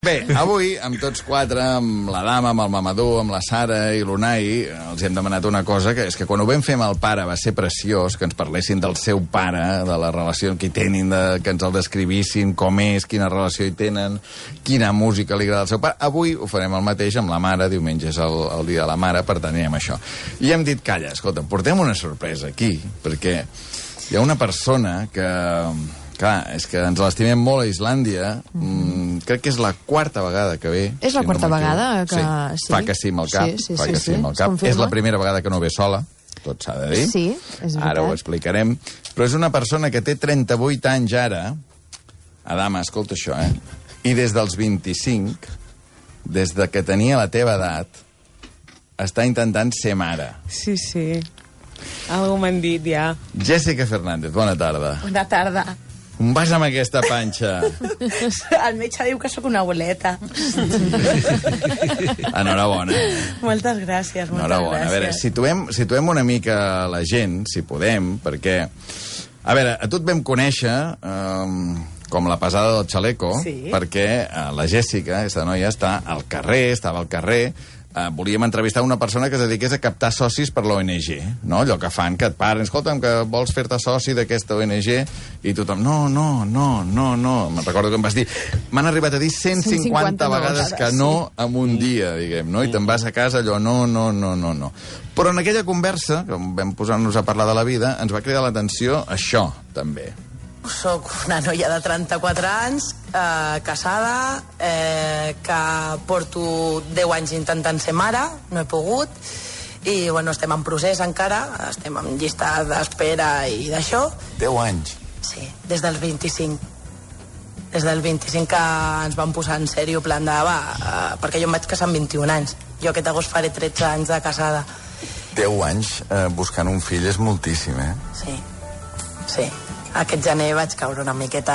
Bé, avui, amb tots quatre, amb la Dama, amb el Mamadou, amb la Sara i l'Unai, els hem demanat una cosa, que és que quan ho vam fer amb el pare va ser preciós, que ens parlessin del seu pare, de la relació que hi tenen, que ens el descrivissin, com és, quina relació hi tenen, quina música li agrada al seu pare. Avui ho farem el mateix amb la mare, diumenge és el dia de la mare, per tant anirem a això. I hem dit, calla, escolta, portem una sorpresa aquí, perquè hi ha una persona que... Clar, és que ens l'estimem molt a Islàndia. Crec que és la quarta vegada que ve. És la quarta vegada que... Sí. Fa que sí amb el cap. Sí. És la primera vegada que no ve sola, tot s'ha de dir. Sí, és veritat. Ara ho explicarem. Però és una persona que té 38 anys ara. Adama, escolta això, I des dels 25, des de que tenia la teva edat, està intentant ser mare. Sí. Algú m'han dit, ja. Jessica Fernández, bona tarda. Bona tarda. On vas amb aquesta panxa? El metge diu que sóc una abueleta. Enhorabona. Moltes gràcies, Enhorabona. A veure, situem una mica la gent, si podem, perquè... A veure, a tu et vam conèixer com la pesada del xaleco, perquè la Jessica, aquesta noia, estava al carrer, volíem entrevistar una persona que es dediqués a captar socis per l'ONG, no? Allò que fan, que et paren, escolta'm, que vols fer-te soci d'aquesta ONG, i tothom, no. Me'n recordo que em vas dir, m'han arribat a dir 150 vegades que no en un dia, diguem, no? I te'n vas a casa allò, no. Però en aquella conversa, que vam posar-nos a parlar de la vida, ens va cridar l'atenció això, també. Soc una noia de 34 anys, casada, que porto 10 anys intentant ser mare, no he pogut, i bueno, estem en procés encara, estem en llista d'espera i d'això. 10 anys? Sí, des dels 25. Des del 25 que ens vam posar en sèrio, plan de, perquè jo em vaig casar amb 21 anys. Jo aquest agost faré 13 anys de casada. 10 anys buscant un fill és moltíssim, Sí. Aquest gener vaig caure una miqueta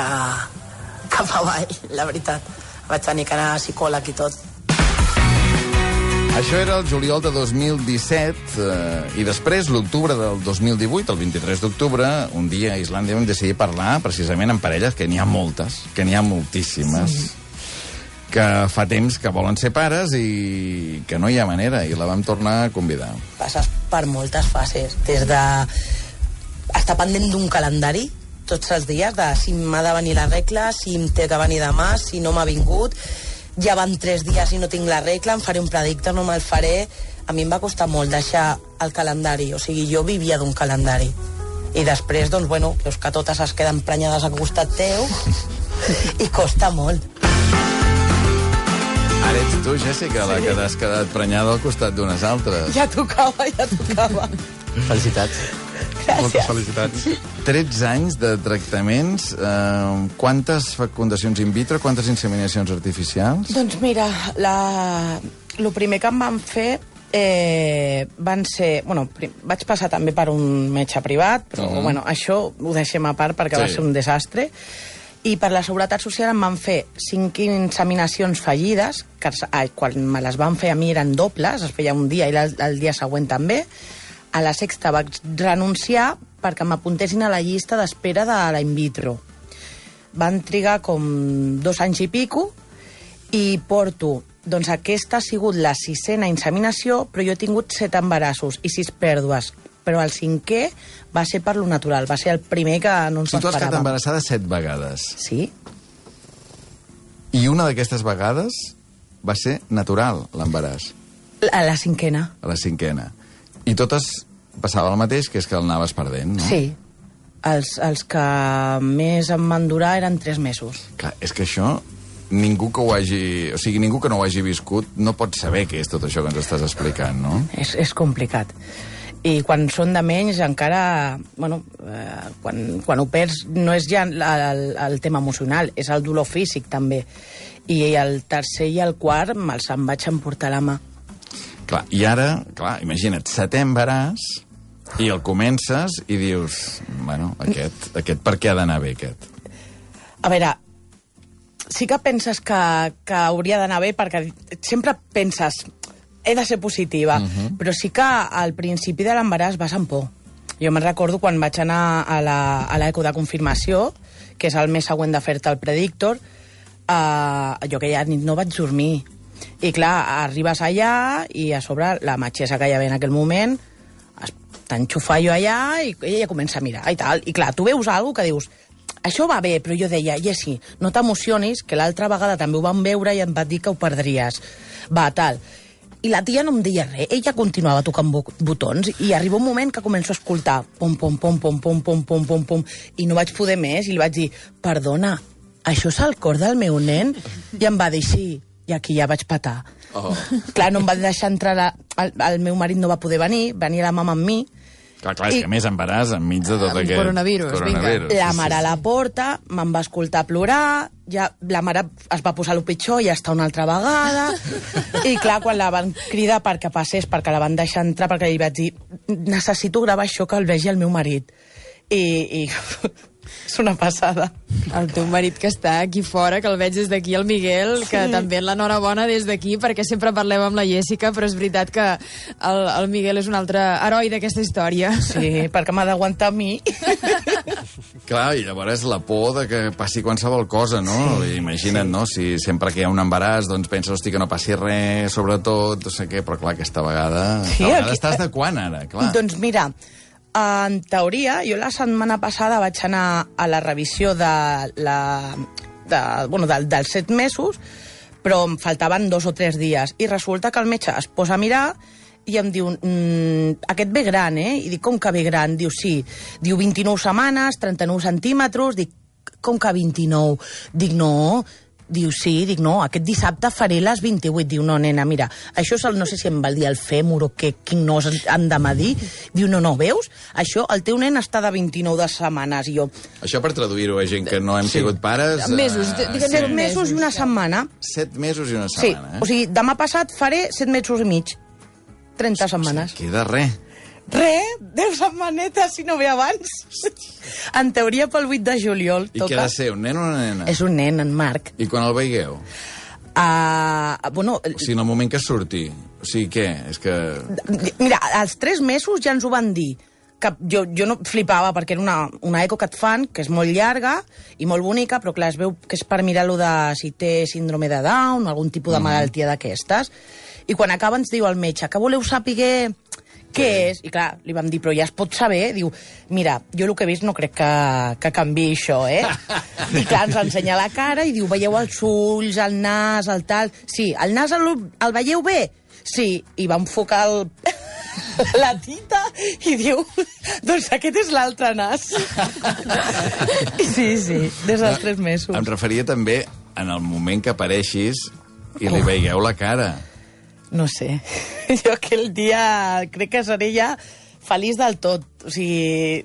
cap avall, la veritat. Vaig tenir que anar a psicòleg i tot. Això era el juliol de 2017 i després, l'octubre del 2018, el 23 d'octubre, un dia a Islàndia vam decidir parlar precisament amb parelles, que n'hi ha moltes, que n'hi ha moltíssimes, que fa temps que volen ser pares i que no hi ha manera, i la vam tornar a convidar. Passes per moltes fases, des de estar pendent d'un calendari, tots els dies, de si m'ha de venir la regla, si em té que venir demà, si no m'ha vingut, ja van 3 dies i no tinc la regla, em faré un predicte, no me'l faré. A mi em va costar molt deixar el calendari, o sigui, jo vivia d'un calendari. I després, doncs, bueno, veus que totes es queden prenyades al costat teu i costa molt. Ara ets tu, Jessica, la que t'has quedat prenyada al costat d'unes altres. Ja tocava. Felicitats. Gràcies. Moltes felicitats. 13 anys de tractaments, quantes fecundacions in vitro, quantes inseminacions artificials? Doncs mira, el primer que em van fer van ser... Bueno, vaig passar també per un metge privat, però bueno, això ho deixem a part perquè va ser un desastre. I per la Seguretat Social em van fer 5 inseminacions fallides, que quan me les van fer a mi eren dobles, es feia un dia i el dia següent també. A la sexta vaig renunciar perquè m'apuntessin a la llista d'espera de la in vitro. Van trigar com 2 anys i pico i porto... Doncs aquesta ha sigut la 6a inseminació, però jo he tingut 7 embarassos i 6 pèrdues. Però el 5è va ser per lo natural, va ser el primer que no ens esperàvem. Tu has quedat embarassada 7 vegades. Sí. I una d'aquestes vegades va ser natural, l'embaràs. A la 5a. A la 5a. I totes passava el mateix, que és que el anaves perdent, no? Sí. Els que més em van durar eren 3 mesos. Clar, és que això, ningú que ho hagi... O sigui, ningú que no ho hagi viscut no pot saber què és tot això que ens estàs explicant, no? És complicat. I quan són de menys encara... Bueno, quan ho perds no és ja el tema emocional, és el dolor físic també. I el tercer i el quart me'ls em vaig emportar a la mà. Clar, i ara, imagina't, 7è embaràs, i el comences i dius, bueno, aquest per què ha d'anar bé, aquest? A veure, sí que penses que hauria d'anar bé perquè sempre penses, he de ser positiva, però sí que al principi de l'embaràs vas amb por. Jo me'n recordo quan vaig anar a l'eco de confirmació, que és el mes següent de fer-te el predictor, jo aquella nit no vaig dormir. I clar, arribes allà i a sobre la metgessa que hi havia en aquell moment t'enxufa jo allà i ella comença a mirar i tal. I clar, tu veus alguna que dius això va bé, però jo deia, Jessi, no t'emocionis, que l'altra vegada també ho vam veure i em va dir que ho perdries. Va, tal. I la tia no em deia res, ella continuava tocant botons i arriba un moment que començo a escoltar pom, pom, pom, pom, pom, pom, pom, pom, pom, i no vaig poder més i li vaig dir, perdona, això és el cor del meu nen? I em va dir, sí, i aquí ja vaig patar. Clar, no em va deixar entrar, el meu marit no va poder venir, venia la mama amb mi. Clar, és que més embaràs enmig de tot aquest... Coronavirus, vinga. La mare a la porta, me'n va escoltar plorar, ja la mare es va posar lo pitjor, ja està una altra vegada, i clar, quan la van cridar perquè passés, perquè la van deixar entrar, perquè li vaig dir, necessito gravar això que el vegi el meu marit. I és una passada. El teu marit que està aquí fora, que el veig des d'aquí, el Miguel, que també l'enhorabona des d'aquí, perquè sempre parlem amb la Jèssica, però és veritat que el Miguel és un altre heroi d'aquesta història. Sí, perquè m'ha d'aguantar a mi. Clar, i llavors la por de que passi qualsevol cosa, no? Sí, imagina't, no? Si sempre que hi ha un embaràs, doncs penses, hosti, que no passi res, sobretot, no sé què, però clar, aquesta vegada... Sí, estàs de quan, ara? Clar. Doncs mira, en teoria, jo la setmana passada vaig anar a la revisió dels 7 mesos, però em faltaven 2 o 3 dies. I resulta que el metge es posa a mirar i em diu, aquest ve gran, eh? I dic, com que ve gran? Diu, sí. Diu, 29 setmanes, 39 centímetres. Dic, com que 29? Dic, no. Diu, sí. Dic, no, aquest dissabte faré les 28. Diu, no, nena, mira, això és no sé si em va dir el fèmur o quin nos han de medir. Diu, no, veus? Això, el teu nen està de 29 de setmanes. I jo... Això per traduir-ho a gent que no hem sigut pares... Mesos. 7 mesos i una setmana. 7 mesos i una setmana, Sí, o sigui, demà passat faré 7 mesos i mig. 30 setmanes. Queda res. Res, 10 setmanetes, si no ve abans. En teoria pel 8 de juliol I què ha de ser, un nen o una nena? És un nen, en Marc. I quan el veieu? Bueno... O sigui, en el moment que surti. O sigui, què? És que... Mira, als 3 mesos ja ens ho van dir. Que jo no flipava, perquè era una eco que et fan, que és molt llarga i molt bonica, però clar, es veu que és per mirar-lo de si té síndrome de Down, algun tipus de malaltia d'aquestes. I quan acaba ens diu el metge, que voleu saber què és? I clar, li vam dir, però ja es pot saber? Diu, mira, jo el que he vist no crec que canviï això, eh? I clar, ens ensenya la cara i diu, veieu els ulls, el nas, el tal... Sí, el nas el veieu bé? Sí, i va enfocar la tita i diu, doncs aquest és l'altre nas. Sí, des dels 3 mesos. Em referia també en el moment que apareixis i li veieu la cara. No sé. Jo aquell dia crec que seré ja feliç del tot. O sigui...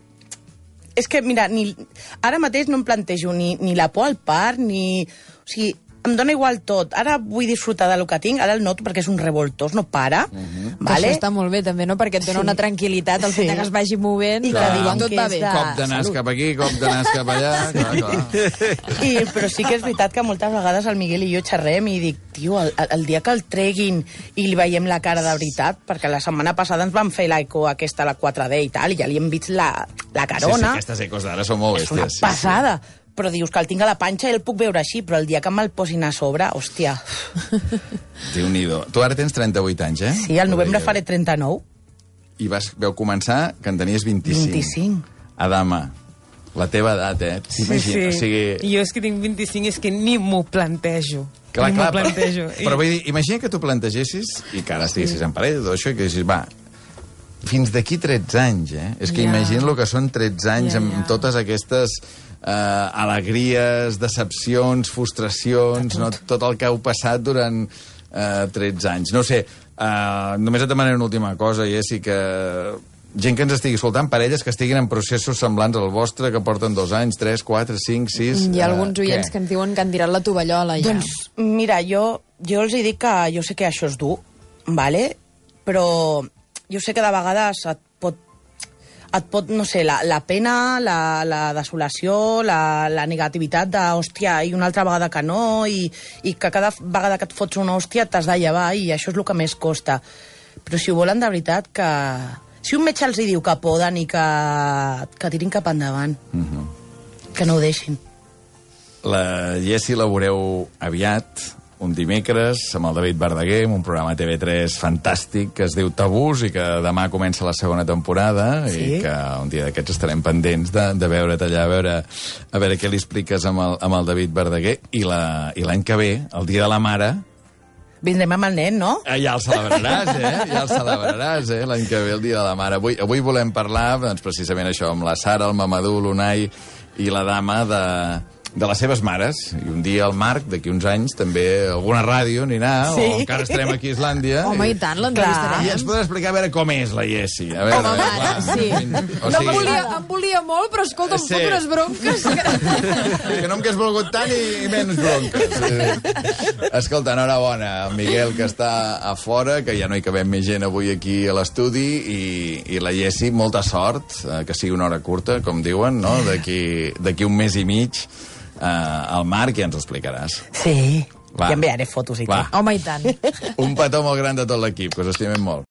És que, mira, ara mateix no em plantejo ni la por al part, ni... O sigui, em dóna igual tot. Ara vull disfrutar del que tinc, ara el noto perquè és un revoltós, no para. Vale? Això està molt bé, també, no? Perquè et dona una tranquil·litat el fet que es vagi movent i que diuen tot que va bé. Cop de nas cap aquí, cop de nas cap allà... Clar. Però sí que és veritat que moltes vegades el Miguel i jo xerrem i dic, tio, el dia que el treguin i li veiem la cara de veritat, perquè la setmana passada ens van fer l'eco aquesta, la 4D i tal, i ja li hem vist la carona. Sí, aquestes ecos d'ara són molt bèsties. És una passada. Però dius que el tinc a la panxa i el puc veure així, però el dia que me'l posin a sobre, hòstia. Déu-n'hi-do. Tu ara tens 38 anys, eh? Sí, al novembre faré 39. I vau començar que en tenies 25. 25. Adama, la teva edat, eh? Sí. O sigui... Jo és que tinc 25, és que ni m'ho plantejo. Clar, ni m'ho plantejo. Però vull dir, imagina que tu plantegessis, i que ara estiguessis en parella, tot això, i que dius, va, fins d'aquí 13 anys, eh? És que imagina el que són 13 anys amb totes aquestes... alegries, decepcions, frustracions, no? Tot el que heu passat durant 13 anys. No sé, només et demanaré una última cosa, Jessi, que gent que ens estigui escoltant, parelles que estiguin en processos semblants al vostre, que porten 2 anys, 3, 4, 5, 6... Hi ha alguns oients que ens diuen que han tirat la tovallola ja. Doncs, mira, jo els dic que jo sé que això és dur, vale? Però jo sé que de vegades et pot, no sé, la pena, la desolació, la negativitat de, hòstia, i una altra vegada que no, i que cada vegada que et fots una hòstia t'has de llevar, i això és el que més costa. Però si ho volen de veritat, que... Si un metge els hi diu que poden i que tirin cap endavant, que no ho deixin. La Jessi la veureu aviat, un dimecres, amb el David Verdaguer, amb un programa TV3 fantàstic que es diu Tabús i que demà comença la segona temporada i que un dia d'aquests estarem pendents de veure't allà, a veure què li expliques amb el David Verdaguer. I l'any que ve, el Dia de la Mare... Vindrem amb el nen, no? Ja el celebraràs, Ja el celebraràs, l'any que ve, el Dia de la Mare. Avui volem parlar, doncs, precisament això, amb la Sara, el Mamadou, l'Unai i la Dama de les seves mares. I un dia el Marc, d'aquí uns anys, també alguna ràdio anirà, o encara estarem aquí a Islàndia. Home, i tant, l'entrevistarem. I ens podrà explicar a veure com és la Jessi. Home, mare, sí. Em volia molt, però escolta, em fot unes bronques. Que no em hagués volgut tant i menys bronques. Escolta, enhorabona, el Miguel, que està a fora, que ja no hi cabem més gent avui aquí a l'estudi, i la Jessi, molta sort, que sigui una hora curta, com diuen, no? D'aquí un mes i mig, el Marc ja ens ho explicaràs. Sí, ja enviaré fotos i tot. Home, i tant. Un petó molt gran de tot l'equip, que us estimem molt.